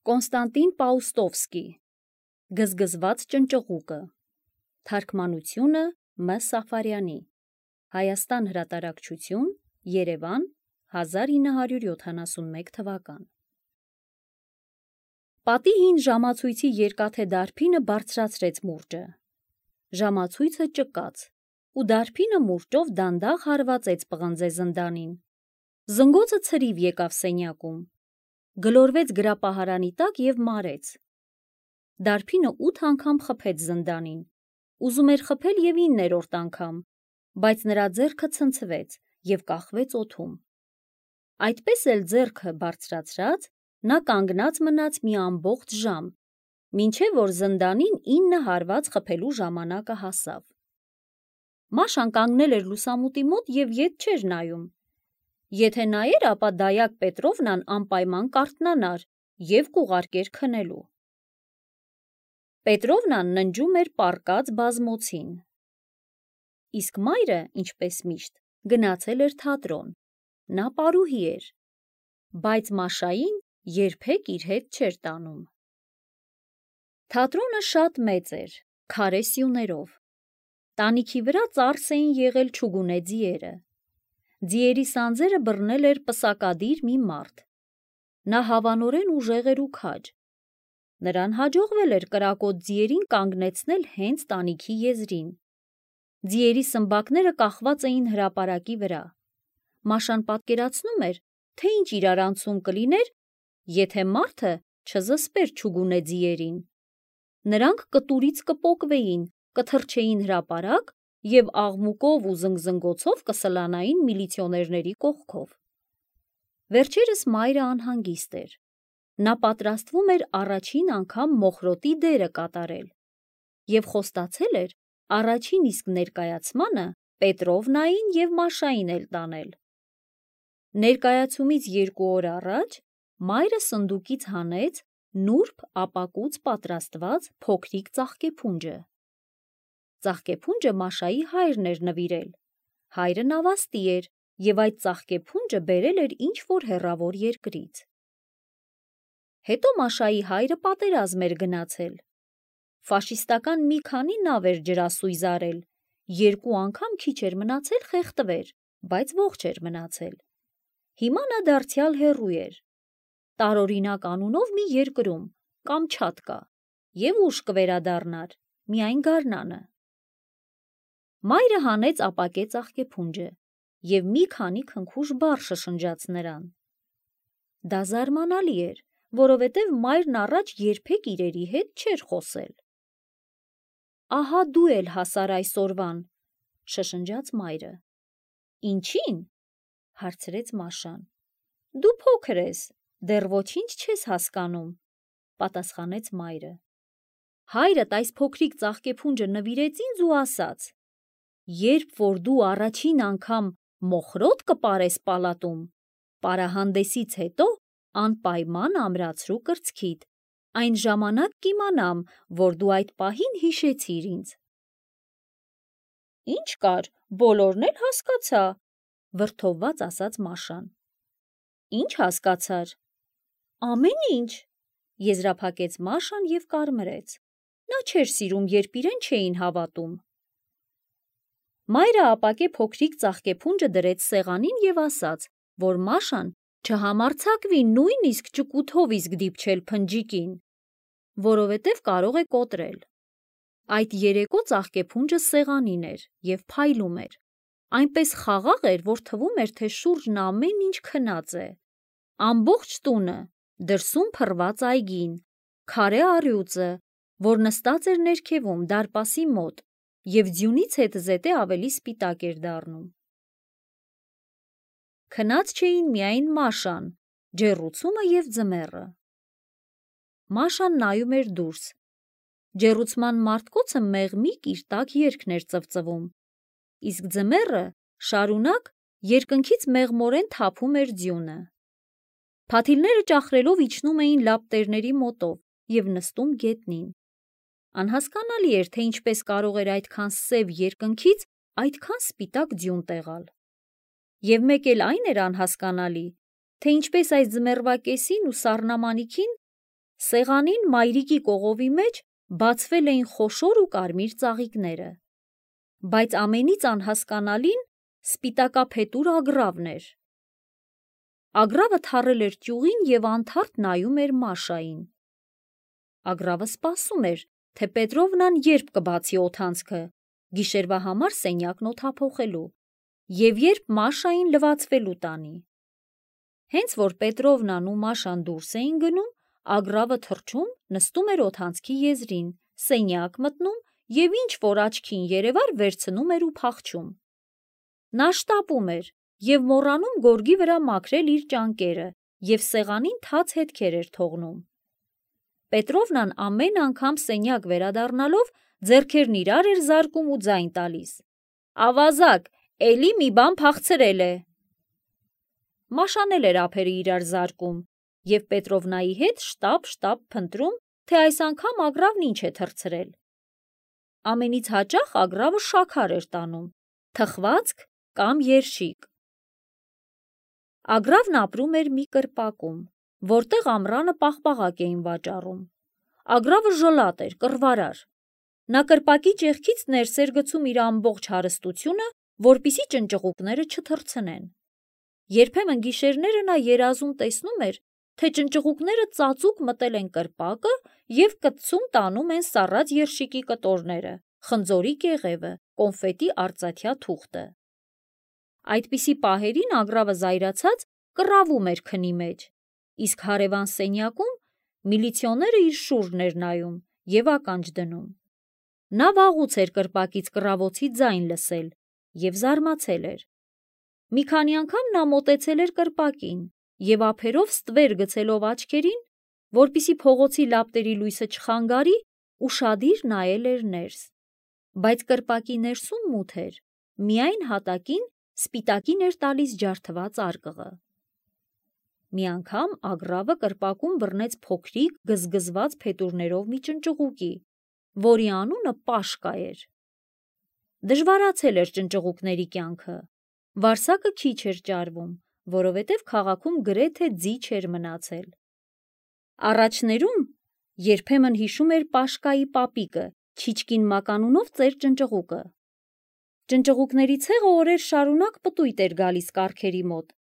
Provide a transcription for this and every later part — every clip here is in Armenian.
Կոնստանտին Պաուստովսկի Գզգզված ճնճղուկը Թարգմանությունը Մ. Սաֆարյանի Հայաստան հրատարակչություն Երևան 1971 թվական Պատի հին ժամացույցի երկաթե դարբինը բարձրացրեց մուրճը։ Ժամացույցը ճկաց, ու դարբինը մուրճով դանդաղ հարվածեց պղնձե զնդանին։ Զնգոցը ցրիվ եկավ սենյակում, գլորվեց գրապահարանի տակ և մարեց։ Դարբինը 8 անգամ խփեց զնդանին, ուզում էր խփել և 9-րդ անգամ, բայց նրա ձեռքը ցնցվեց և կախվեց օդում։ Այդպես էլ ձեռքը բարձրացրած, նա կանգնած մնաց մի ամբողջ ժամ, մինչև որ զնդանին 9 հարված խփելու ժամանակը հասավ։ Մաշան կանգնել էր լուսամուտի մոտ և ետ չէր նայում։ Եթե նայեր, ապա Դայակ Պետրովնան անպայման կարթնանար և կուղարկեր քնելու։ Պետրովնան ննջում էր պառկած բազմոցին։ Իսկ մայրը, ինչպես միշտ, գնացել էր թատրոն, նա պարուհի էր, բայց Մաշային երբեք իր հետ չէր տանում։ Թատրոնը շատ մեծ էր, քարե սյուներով։ Տանիքի վրա ծարս էին եղել չուգունե ձիերը։ Ձիերի սանձերը բռնել էր պսակադիր մի մարդ։ Նա հավանորեն ուժեղ էր ու քաջ։ Նրան հաջողվել էր կրակոտ ձիերին կանգնեցնել հենց տանիքի եզրին։ Ձիերի սմբակները կախված էին հրապարակի վրա։ Մաշան պատկերացնում էր, թե ինչ իրարանցում կլիներ, եթե մարդը չզսպեր չուգունե ձիերին։ Նրանք կտուրից կպոկվեին, կթռչեին հրապարակ և աղմուկով ու զնգզնգոցով կսլանային միլիցիոներների կողքով։ Վերջերս մայրը անհանգիստ էր։ Նա պատրաստվում էր առաջին անգամ մոխրոտի դերը կատարել և խոստացել էր առաջին իսկ ներկայացմանը Պետրովնային և Մաշային էլ տանել։ Ներկայացումից 2 օր առաջ մայրը սնդուկից հանեց նուրբ ապակուց պատրաստված փոքրիկ ծաղկեփունջը։ Ծաղկեփունջը Մաշայի հայրն էր նվիրել։ Հայրը նավաստի էր և այդ ծաղկեփունջը բերել էր ինչ-որ հեռավոր երկրից։ Հետո Մաշայի հայրը պատերազմ էր գնացել։ Ֆաշիստական մի քանի նավ էր ջրասույզ արել, 2 անգամ քիչ էր մնացել խեղդվեր, բայց ողջ էր մնացել։ Հիմա նա դարձյալ հեռու էր, տարօրինակ անունով մի երկրում, Կամչատկա, և ուշ կվերադառնար, միայն գարնանը։ Մայրը հանեց ապակե ծաղկեփունջը և մի քանի քնքուշ բառ շշնջաց նրան։ Դա զարմանալի էր, որովհետև մայրն առաջ երբեք իրերի հետ չէր խոսել։ Ահա դու էլ հասար այսօրվան, շշնջաց մայրը։ Ինչի՞ն, հարցրեց Մաշան։ Դու փոքր ես, դեռ ոչինչ չես հասկանում, պատասխանեց մայրը։ Հայրդ այս փոքրիկ ծաղկեփունջը նվիրեց ինձ ու ասաց. երբ որ դու առաջին անգամ մոխրոտ կպարես պալատում, պարահանդեսից հետո անպայման ամրացրու կրծքիդ, այն ժամանակ կիմանամ, որ դու այդ պահին հիշեցիր ինձ։ Ինչ կար, բոլորն էլ հասկացա, վրդովված ասաց Մաշան։ Ինչ հասկացար։ Ամեն ինչ, եզրափակեց Մաշան և կարմրեց։ Նա չէր սիրում, երբ իրեն չէին հավատում։ Մայրը ապակե փոքրիկ ծաղկեփունջը դրեց սեղանին և ասաց, որ Մաշան չհամարձակվի նույնիսկ ճկութով իսկ դիպչել փնջիկին, որովհետև կարող է կոտրել։ Այդ երեկո ծաղկեփունջը սեղանին էր և փայլում էր։ Այնպես խաղաղ էր, որ թվում էր, թե շուրջն ամեն ինչ քնած է։ Ամբողջ տունը, դրսում փռված այգին, քարե առյուծը, որ նստած էր ներքևում դարպասի մոտ և ձյունից հետզհետե ավելի սպիտակ էր դառնում։ Քնած չէին միայն Մաշան, ջեռուցումը և ձմեռը։ Մաշան նայում էր դուրս։ Ջեռուցման մարտկոցը մեղմիկ իր տաք երգն էր ծվծվում, իսկ ձմեռը շարունակ երկնքից մեղմորեն թափում էր ձյունը։ Փաթիլները ճախրելով իջնում էին լապտերների մոտով և նստում գետնին։ Անհասկանալի էր, թե ինչպես կարող էր այդքան սև երկնքից այդքան սպիտակ ձյուն տեղալ։ Եվ մեկ էլ այն էր անհասկանալի, թե ինչպես այս ձմեռվա կեսին ու սառնամանիքին Սեղանին մայրիկի կողովի մեջ բացվել էին խոշոր ու կարմիր ծաղիկները, բայց ամենից անհասկանալին սպիտակափետուր ագռավն էր։ Ագռավը թառել էր ճյուղին և անթարթ նայում էր Մաշային։ Ագռավը սպասում էր, թե Պետրովնան երբ կբացի օդանցքը, գիշերվա համար սենյակն օդափոխելու և երբ Մաշային լվացվելու տանի։ Հենց որ Պետրովնան ու Մաշան դուրս էին գնում, ագռավը թռչում նստում էր օդանցքի եզրին, սենյակ մտնում և ինչ որ աչքին երևար վերցնում էր ու փախչում։ Նա շտապում էր և մոռանում գորգի վրա մաքրել իր ճանկերը և սեղանին թաց հետքեր էր թողնում։ Պետրովնան ամեն անգամ սենյակ վերադառնալով ձեռքերն իրար էր զարկում ու ձայն տալիս. «Ավազակ, էլի մի բան փախցրել է»։ Մաշան էլ էր ափերը իրար զարկում և Պետրովնայի հետ շտապ փնտրում, թե այս անգամ ագռավն ինչ է թռցրել։ Ամենից հաճախ ագռավը շաքար էր տանում, թխվածք կամ երշիկ։ Ագռավն ապրում էր մի կրպակում, որտեղ ամռանը պաղպաղակ էին վաճառում։ Ագռավը ժլատ էր, կռվարար։ Նա կրպակի ճեղքից ներս էր գցում իր ամբողջ հարստությունը, որպեսզի ճնճղուկները չթռցնեն։ Երբեմն գիշերները նա երազում տեսնում էր, թե ճնճղուկները ծածուկ մտել են կրպակը և կտցում տանում են սառած երշիկի կտորները, խնձորի կեղևը, կոնֆետի արծաթյա թուղթը։ Այդպիսի պահերին ագռավը զայրացած կռավում էր քնի մեջ, իսկ հարևան սենյակում միլիցիոները իր շուրջն էր նայում և ականջ դնում։ Նա վաղուց էր կրպակից կռավոցի ձայն լսել և զարմացել էր։ Մի քանի անգամ նա մոտեցել էր կրպակին և ափերով ստվեր գցելով աչքերին, որպեսզի փողոցի լապտերի լույսը չխանգարի, ուշադիր նայել էր ներս, բայց կրպակի ներսում մութ էր, միայն հատակին սպիտակին էր տալիս ջարդված արկղը։ Մի անգամ ագռավը կրպակում բռնեց փոքրիկ գզգզված փետուրներով մի ճնճղուկի, որի անունը Պաշկա էր։ Դժվարացել էր ճնճղուկների կյանքը, վարսակը քիչ էր ճարվում, որովհետև քաղաքում գրեթե ձի չէր մնացել։ Առաջներում երբեմն հիշում էր Պաշկայի պապիկը Չիչկին մականունով ծեր ճնճղուկը։ Ճնճղուկների ցեղը օրեր շարունակ պտույտ էր գալիս կառքերի մոտ,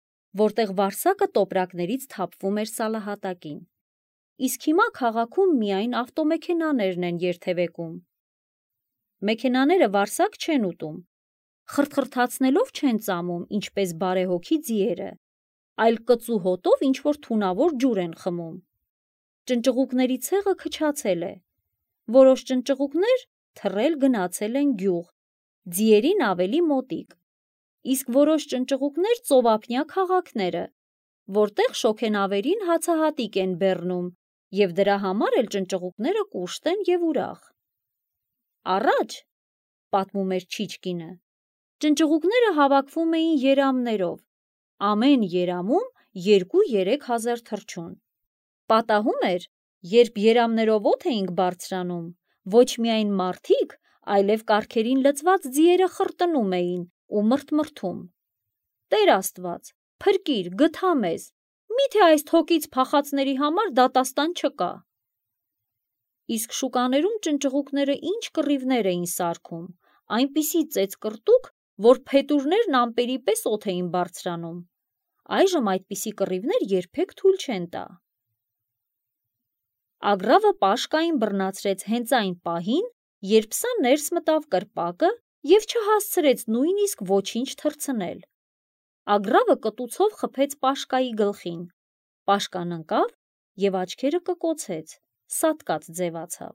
որտեղ վարսակը տոպրակներից թափվում էր սալահատակին։ Իսկ հիմա քաղաքում միայն ավտոմեքենաներն են երթևեկում։ Մեքենաները վարսակ չեն ուտում, խրթխրթացնելով չեն ծամում, ինչպես բարեհոգի ձիերը, այլ կծու հոտով ինչ-որ թունավոր ջուր են խմում։ Ճնճղուկների ցեղը քչացել է։ Որոշ ճնճղուկներ թռել գնացել են գյուղ, ձիերին ավելի մոտիկ, իսկ որոշ ճնճղուկներ ծովափնյա քաղաքները, որտեղ շոգենավերին հացահատիկ են բեռնում և դրա համար էլ ճնճղուկները կուշտ են և ուրախ։ Առաջ, պատմում էր Չիչկինը, ճնճղուկները հավաքվում էին երամներով, ամեն երամում 2-3 հազար թռչուն։ Պատահում էր, երբ երամներով օդ էինք բարձրանում, ոչ միայն մարդիկ, այլև կառքերին լցված ձիերը խրտնում էին ու մրթմրթում. «Տեր Աստված, փրկիր, գթա մեզ, մի՞թե այս թոկից փախածների համար դատաստան չկա»։ Իսկ շուկաներում ճնճղուկները ինչ կռիվներ էին սարքում, այնպիսի ծեծկռտուք, որ փետուրներն ամպերի պես օդ էին բարձրանում։ Այժմ այդպիսի կռիվներ երբեք թույլ չեն տա։ Ագռավը Պաշկային բռնացրեց հենց այն պահին, երբ սա ներս մտավ կրպակը և չհասցրեց նույնիսկ ոչինչ թռցնել։ Ագռավը կտուցով խփեց Պաշկայի գլխին։ Պաշկան ընկավ և աչքերը կկոցեց, սատկած ձևացավ։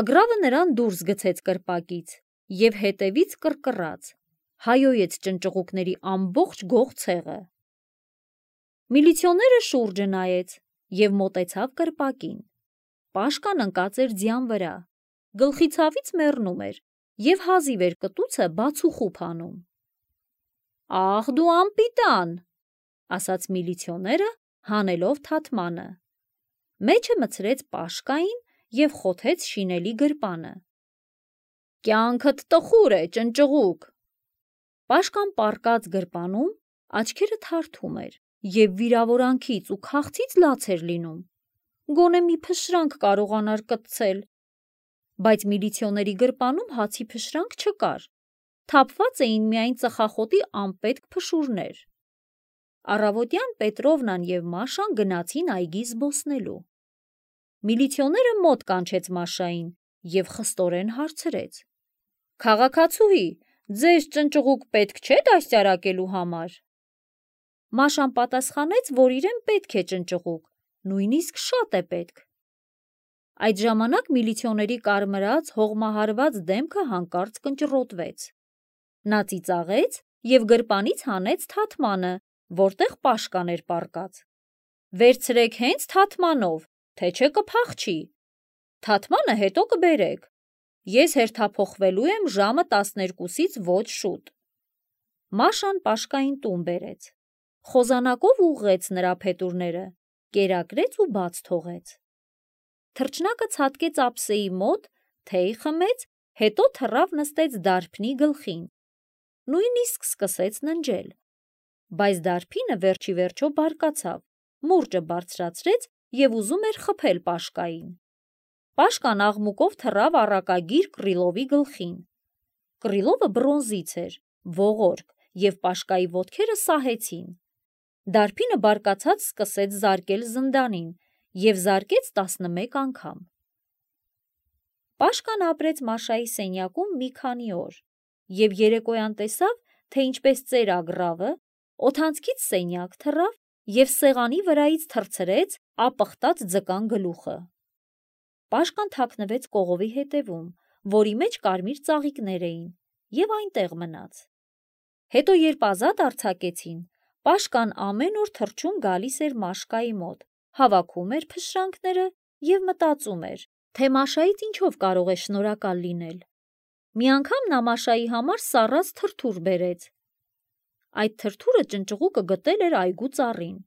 Ագռավը նրան դուրս գցեց կրպակից և հետևից կռկռաց, հայոյեց ճնճղուկների ամբողջ գող ցեղը։ Միլիցիոները շուրջը նայեց և մոտեցավ կրպակին։ Պաշկան ընկած էր ձյան վրա, գլխի ցավից մեռնում էր և հազիվ էր կտուցը բացուխուփ անում։ «Ախ դու անպիտան», ասաց միլիցիոները, հանելով թաթմանը։ Մեջը մտցրեց Պաշկային և խոթեց շինելի գրպանը։ «Կյանքդ տխուր է, ճնճղուկ»։ Պաշկան պառկած գրպանում աչքերը թարթում էր և վիրավորանքից ու քաղցից լաց էր լինում։ գոնե մի փշրանք կարողանար կտցել։ Բայց միլիցիոների գրպանում հացի փշրանք չկար, թափված էին միայն ծխախոտի անպետք փշուրներ։ Առավոտյան Պետրովնան և Մաշան գնացին այգի զբոսնելու։ Միլիցիոները մոտ կանչեց Մաշային և խստորեն հարցրեց. «Քաղաքացուհի, ձեզ ճնճղուկ պետք չէ դաստիարակելու համար»։ Մաշան պատասխանեց, որ իրեն պետք է ճնճղուկ, նույնիսկ շատ է պետք։ Այդ ժամանակ միլիցիոների կարմրած, հողմահարված դեմքը հանկարծ կնճռոտվեց։ Նա ծիծաղեց և գրպանից հանեց թաթմանը, որտեղ Պաշկան էր պառկած։ «Վերցրեք հենց թաթմանով, թե չէ կփախչի։ Թաթմանը հետո կբերեք։ Ես հերթափոխվելու եմ ժամը 12-ից ոչ շուտ»։ Մաշան Պաշկային տուն բերեց։ Խոզանակով ուղղեց նրա փետուրները, կերակրեց ու բաց թողեց։ Թռչնակը ցատկեց ափսեի մոտ, թեյ խմեց, հետո թռավ նստեց դարբնի գլխին։ Նույնիսկ սկսեց ննջել։ Բայց դարբինը վերջի վերջո բարկացավ, մուրճը բարձրացրեց և ուզում էր խփել Պաշկային։ Պաշկան աղմուկով թռավ առակագիր Կռիլովի գլխին։ Կռիլովը բրոնզից էր, ողորկ, և Պաշկայի ոտքերը սահեցին։ Դարբինը բարկացած սկսեց զարկել զնդանին և զարկեց 11 անգամ։ Պաշկան ապրեց Մաշայի սենյակում մի քանի օր և երեկոյան տեսավ, թե ինչպես ծեր ագռավը օդանցքից սենյակ թռավ և սեղանի վրայից թռցրեց ապխտած ձկան գլուխը։ Պաշկան թաքնվեց կողովի հետևում, որի մեջ կարմիր ծաղիկներ էին, և այնտեղ մնաց։ Հետո, երբ ազատ արձակեցին, Պաշկան ամեն օր թռչուն գալիս էր Մաշկայի մոտ, հավաքում էր փշրանքները և մտածում էր, թե Մաշայից ինչով կարող է շնորհակալ լինել։ Մի անգամ նա Մաշայի համար սառած թրթուր բերեց։ Այդ թրթուրը ճնճղուկը գտել էր այգու ծառին։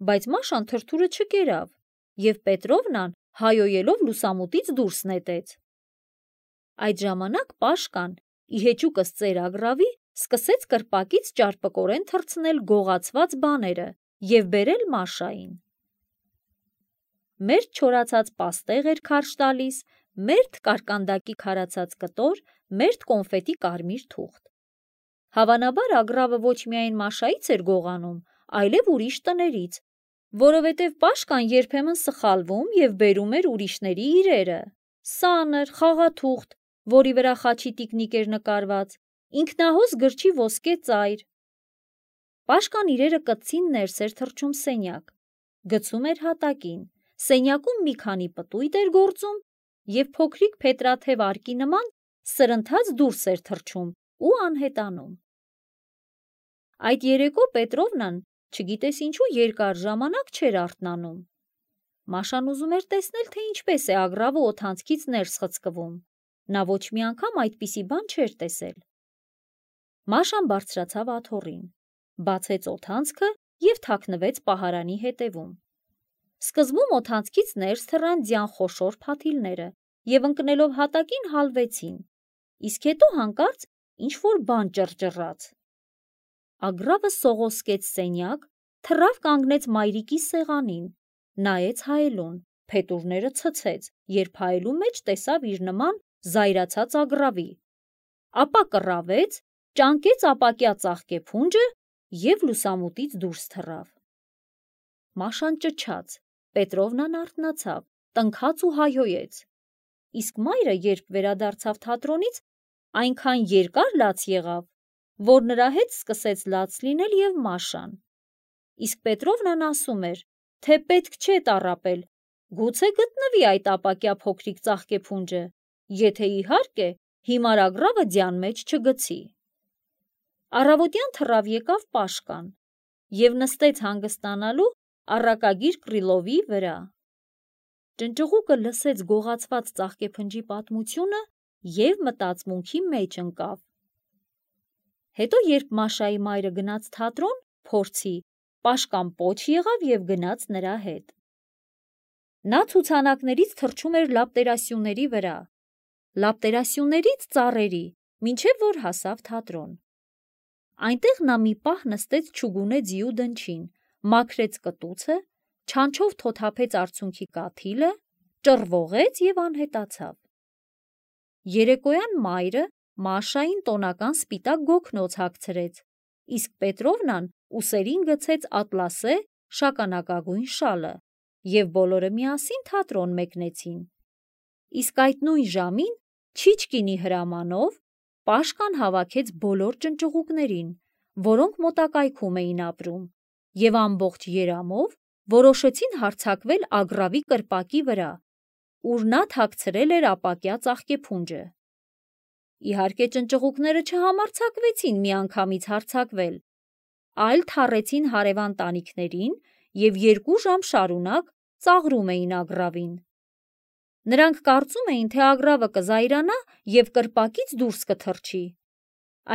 Բայց Մաշան թրթուրը չկերավ, և Պետրովնան հայոյելով լուսամուտից դուրս նետեց։ Այդ ժամանակ Պաշկան, ի հեճուկս ծեր ագռավի, սկսեց կրպակից ճարպկորեն թռցնել գողացված բաները և բերել Մաշային։ Մերթ չորացած պաստեղ էր քարշ տալիս, մերթ կարկանդակի քարացած կտոր, մերթ կոնֆետի կարմիր թուղթ։ Հավանաբար ագռավը ոչ միայն Մաշայից էր գողանում, այլև ուրիշ տներից, որովհետև Պաշկան երբեմն սխալվում և բերում էր ուրիշների իրերը՝ սանր, խաղաթուղթ, որի վրա խաչի տիկնիկ էր նկարված, ինքնահոս գրչի ոսկե ծայր։ Պաշկան իրերը կծին ներս էր թռչում սենյակ, գցում էր հատակին, սենյակում մի քանի պտույտ էր գործում և փոքրիկ փետրաթև արկի նման սրընթաց դուրս էր թռչում ու անհետանում։ Այդ երեկո Պետրովնան, չգիտես ինչու, երկար ժամանակ չէր արթնանում։ Մաշան ուզում էր տեսնել, թե ինչպես է ագռավը օդանցքից ներս խցկվում։ Նա ոչ մի անգամ այդպիսի բան չէր տեսել։ Մաշան բարձրացավ աթոռին, բացեց օդանցքը և թաքնվեց պահարանի հետևում։ Սկզբում օդանցքից ներս թռան ձյան խոշոր փաթիլները և ընկնելով հատակին հալվեցին, իսկ հետո հանկարծ ինչ-որ բան ճռճռաց։ Ագռավը սողոսկեց սենյակ, թռավ կանգնեց մայրիկի սեղանին, նայեց հայելուն, փետուրները ցցեց, երբ հայելու մեջ տեսավ իր նման զայրացած ագռավի, ապա կռավեց, ճանկեց ապակյա ծաղկեփունջը և լուսամուտից դուրս թռավ։ Մաշան ճչաց, Պետրովնան արթնացավ, տնքաց ու հայհոյեց։ Իսկ մայրը, երբ վերադարձավ թատրոնից, այնքան երկար լաց եղավ, որ նրա հետ սկսեց լաց լինել և Մաշան։ Իսկ Պետրովնան ասում էր, թե պետք չէ տառապել, գուցե գտնվի այդ ապակյա փոքրիկ ծաղկեփունջը, եթե իհարկե հիմար ագռավը ձյան մեջ չգցի։ Առավոտյան թռավ եկավ Պաշկան և նստեց հանգստանալու առակագիր Կռիլովի վրա։ Ճնճղուկը լսեց գողացված ծաղկեփնջի պատմությունը և մտածմունքի մեջ ընկավ։ Հետո, երբ Մաշայի մայրը գնաց թատրոն, փորձի, Պաշկան պոչ եղավ և գնաց նրա հետ։ Նա ցուցանակներից թռչում էր լապտերասյուների վրա, լապտերասյուներից ծառերի, մինչև որ հասավ թատրոն։ Այնտեղ նա մի պահ նստեց չուգունե ձիու դնչին, մաքրեց կտուցը, չանչով թոթափեց արցունքի կաթիլը, ճռվողեց և անհետացավ։ Երեկոյան մայրը Մաշային տոնական սպիտակ գոգնոց հագցրեց, իսկ Պետրովնան ուսերին գցեց ատլասե շագանակագույն շալը, և բոլորը միասին թատրոն մեկնեցին։ Իսկ այդ նույն ժամին Չիչկինի հրամանով Պաշկան հավաքեց բոլոր ճնճղուկներին, որոնք մոտակայքում էին ապրում, և ամբողջ երամով որոշեցին հարձակվել Ագռավի կրպակի վրա, ուր նա թաքցրել էր ապակյա ծաղկեփունջը։ Իհարկե ճնճղուկները չհամարձակվեցին միանգամից հարձակվել, այլ թառեցին հարևան տանիքներին և 2 ժամ շարունակ ծաղրում էին Ագռավին։ Նրանք կարծում էին, թե Ագռավը կզայրանա և կրպակից դուրս կթռչի։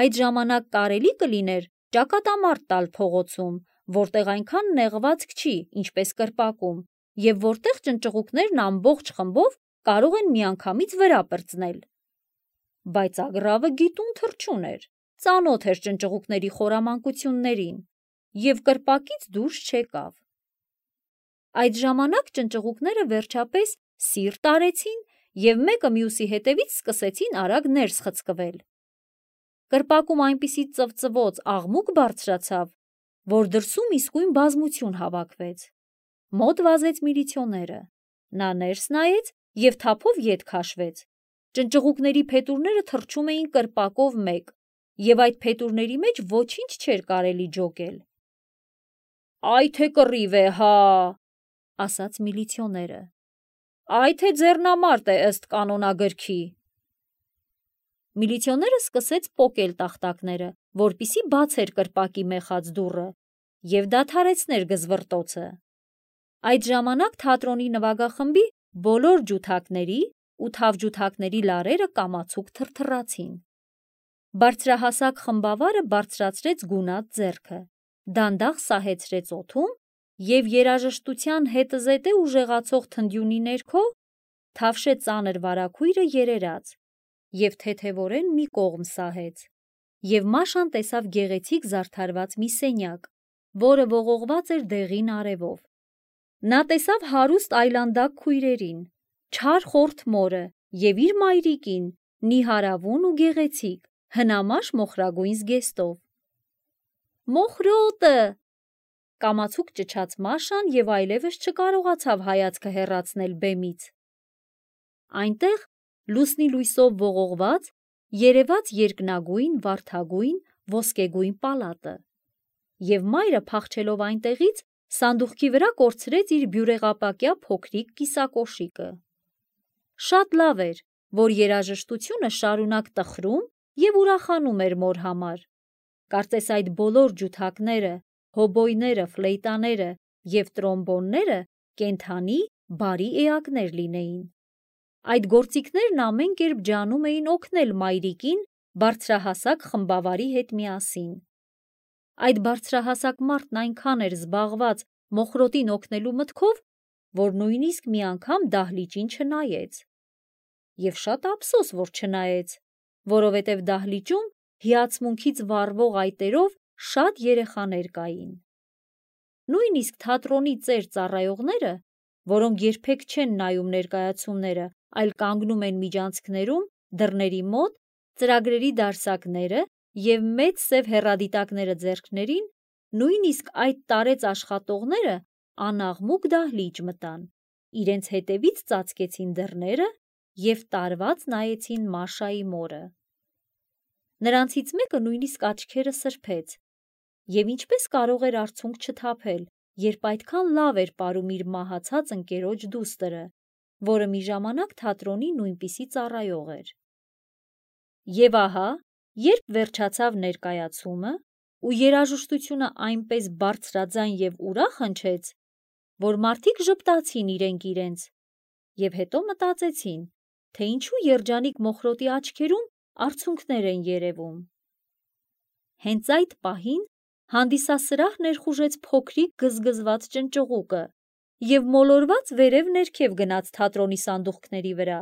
Այդ ժամանակ կարելի կլիներ ճակատամարտ տալ փողոցում, որտեղ այնքան նեղվածք չի, ինչպես կրպակում, և որտեղ ճնճղուկներն ամբողջ խմբով կարող են միանգամից վրա պրծնել։ Բայց Ագռավը գիտուն թռչուն էր, ծանոթ էր ճնճղուկների խորամանկություններին և կրպակից դուրս չեկավ։ Այդ ժամանակ ճնճղուկները վերջապես սիրտ արեցին և մեկը մյուսի հետևից սկսեցին արագ ներս խցկվել։ Կրպակում այնպիսի ծվծվոց աղմուկ բարձրացավ, որ դրսում իսկույն բազմություն հավաքվեց։ Մոտ վազեց միլիցիոները։ Նա ներս նայեց և թափով ետ քաշվեց։ Ճնճղուկների փետուրները թռչում էին կրպակով մեկ, և այդ փետուրների մեջ ոչինչ չէր կարելի ջոկել։ «Այ թե կռիվ է, հա», ասաց միլիցիոները։ «Այ թե ձեռնամարտ է ըստ կանոնագրքի»։ Միլիցիոները սկսեց պոկել տախտակները, որպեսզի բացեր կրպակի մեխած դուռը և դադարեցներ գզվռտոցը։ Այդ ժամանակ թատրոնի նվագախմբի բոլոր ջութակների ու թավջութակների լարերը կամացուկ թրթռացին։ Բարձրահասակ խմբավարը բարձրացրեց գունատ ձեռքը, դանդաղ սահեցրեց օդում և երաժշտության հետզհետե ուժեղացող թնդյունի ներքո թավշե ծանր վարագույրը երերաց և թեթևորեն մի կողմ սահեց, և Մաշան տեսավ գեղեցիկ զարդարված մի սենյակ, որը ողողված էր դեղին արևով։ Նա տեսավ հարուստ այլանդակ քույրերին, չար խորթ մորը և իր մայրիկին, նիհարավուն ու գեղեցիկ, հնամաշ մոխրագույն զգեստով։ «Մոխրոտը», կամացուկ ճչաց Մաշան և այլևս չկարողացավ հայացքը հեռացնել բեմից։ Այնտեղ, լուսնի լույսով ողողված, երևաց երկնագույն, վարդագույն, ոսկեգույն պալատը, և մայրը փախչելով այնտեղից սանդուղքի վրա կորցրեց իր բյուրեղապակյա փոքրիկ կիսակոշիկը։ Շատ լավ էր, որ երաժշտությունը շարունակ տխրում և ուրախանում էր մոր համար։ Կարծես այդ բոլոր ջութակները, հոբոյները, ֆլեյտաները և տրոմբոնները կենդանի, բարի էակներ լինեին։ Այդ գործիքներն ամեն կերպ ջանում էին օգնել մայրիկին բարձրահասակ խմբավարի հետ միասին։ Այդ բարձրահասակ մարդն այնքան էր զբաղված մոխրոտին օգնելու մտքով, որ նույնիսկ մի անգամ դահլիճին չնայեց։ Եվ շատ ափսոս, որ չնայեց, որովհետև դահլիճում հիացմունքից վառվող այտերով շատ երեխաներ կային։ Նույնիսկ թատրոնի ծեր ծառայողները, որոնք երբեք չեն նայում ներկայացումները, այլ կանգնում են միջանցքներում, դռների մոտ, ծրագրերի դարսակները և մեծ սև հեռադիտակները ձեռքներին, նույնիսկ այդ տարեց աշխատողները անաղմուկ դահլիճ մտան, իրենց հետևից ծածկեցին դռները և տարված նայեցին Մաշայի մորը։ Նրանցից մեկը նույնիսկ աչքերը սրբեց։ Եվ ինչպես կարող էր արցունք չթափել, երբ այդքան լավ էր պարում իր մահացած ընկերոջ դուստրը, որը մի ժամանակ թատրոնի նույնպիսի ծառայող էր։ Եվ ահա, երբ վերջացավ ներկայացումը, ու երաժշտությունը այնպես բարձրաձայն և ուրախ հնչեց, որ մարդիկ ժպտացին իրենք իրենց, և հետո մտածեցին, թե ինչու երջանիկ մոխրոտի աչքերում արցունքներ են երևում։ Հենց այդ պահին հանդիսասրահ ներխուժեց փոքրիկ գզգզված ճնճղուկը և մոլորված վերև ներքև գնաց թատրոնի սանդուղքների վրա։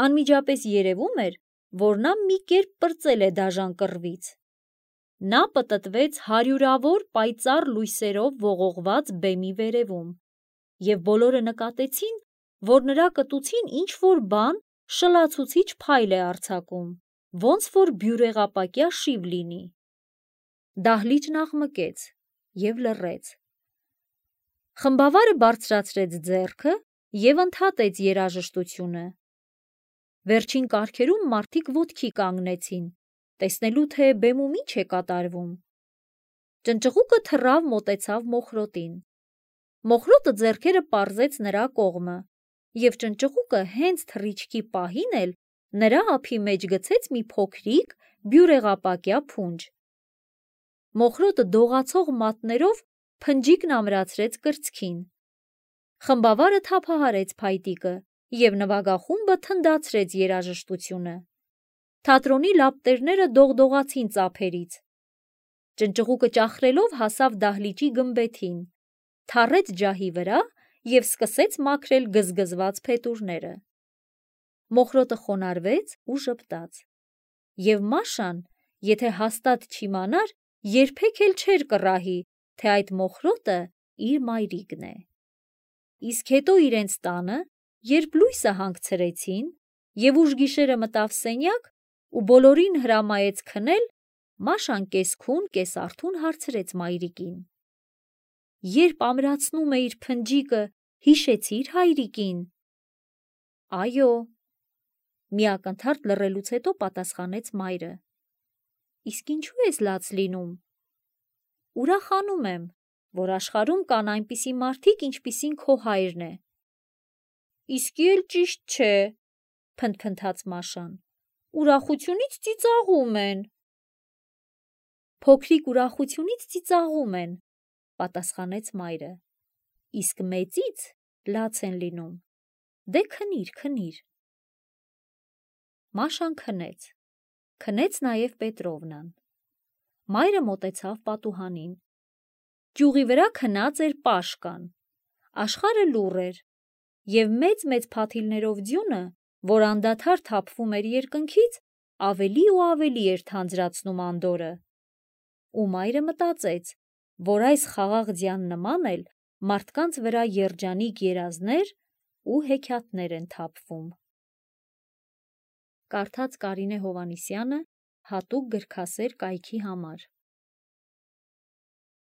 Անմիջապես երևում էր, որ նա մի կերպ պրծել է դաժան կռվից։ նա պտտվեց հարյուրավոր պայծառ լույսերով ողողված բեմի վերևում, և բոլորը նկատեցին, որ նրա կտուցին ինչ-որ բան շլացուցիչ փայլ է արձակում, ոնց որ բյուրեղապակյա շիվ լինի։ Դահլիճն աղմկեց և լռեց։ Խմբավարը բարձրացրեց ձեռքը և ընդհատեց երաժշտությունը։ Վերջին կարգերում մարդիկ ոտքի կանգնեցին, տեսնելու, թե բեմում ինչ է կատարվում։ Ճնճղուկը թռավ մոտեցավ Մոխրոտին։ Մոխրոտը ձեռքերը պարզեց նրա կողմը, և ճնճղուկը հենց թռիչքի պահին էլ նրա ափի մեջ գցեց մի փոքրիկ բյուրեղապակյա փունջ։ Մոխրոտը դողացող մատներով փնջիկն ամրացրեց կրծքին։ Խմբավարը թափահարեց փայտիկը, և նվագախումբը թնդացրեց երաժշտությունը։ Թատրոնի լապտերները դողդողացին ծափերից։ Ճնճղուկը ճախրելով հասավ դահլիճի գմբեթին, թառեց ջահի վրա և սկսեց մաքրել գզգզված փետուրները։ Մոխրոտը խոնարհվեց ու ժպտաց։ Եվ Մաշան, եթե հաստատ չիմանար, երբեք էլ չէր կռահի, թե այդ Մոխրոտը իր մայրիկն է։ Իսկ հետո իրենց տանը, երբ լույսը հանգցրեցին, և ուշ գիշերը մտավ սենյակ ու բոլորին հրամայեց քնել, Մաշան կես-քուն-կես-արթուն հարցրեց մայրիկին. «Երբ ամրացնում էիր փնջիկը, հիշեցի՞ր հայրիկին»։ «Այո», մի ակնթարթ լռելուց հետո պատասխանեց մայրը։ «Իսկ ինչու ես լաց լինում»։ «Ուրախանում եմ, որ աշխարհում կան այնպիսի մարդիկ, ինչպիսին քո հայրն է»։ «Իսկի էլ ճիշտ չէ», փնթփնթաց Մաշան, «ուրախությունից ծիծաղում են»։ «Փոքրիկ ուրախությունից ծիծաղում են», պատասխանեց մայրը, «իսկ մեծից լաց են լինում։ Դե քնիր, քնիր»։ Մաշան քնեց։ Քնեց նաև Պետրովնան։ Մայրը մոտեցավ պատուհանին։ Ճյուղի վրա քնած էր Պաշկան։ Աշխարհը լուռ էր, և մեծ-մեծ փաթիլներով ձյունը, որ անդադար թափվում էր երկնքից, ավելի ու ավելի էր թանձրացնում անդորրը։ Ու մայրը մտածեց, որ այս խաղաղ ձյան նման էլ մարդկանց վրա երջանիկ երազներ ու հեքիաթներ են թափվում։ Կարդաց Կարինե Հովհաննիսյանը հատուկ գրքասեր կայքի համար։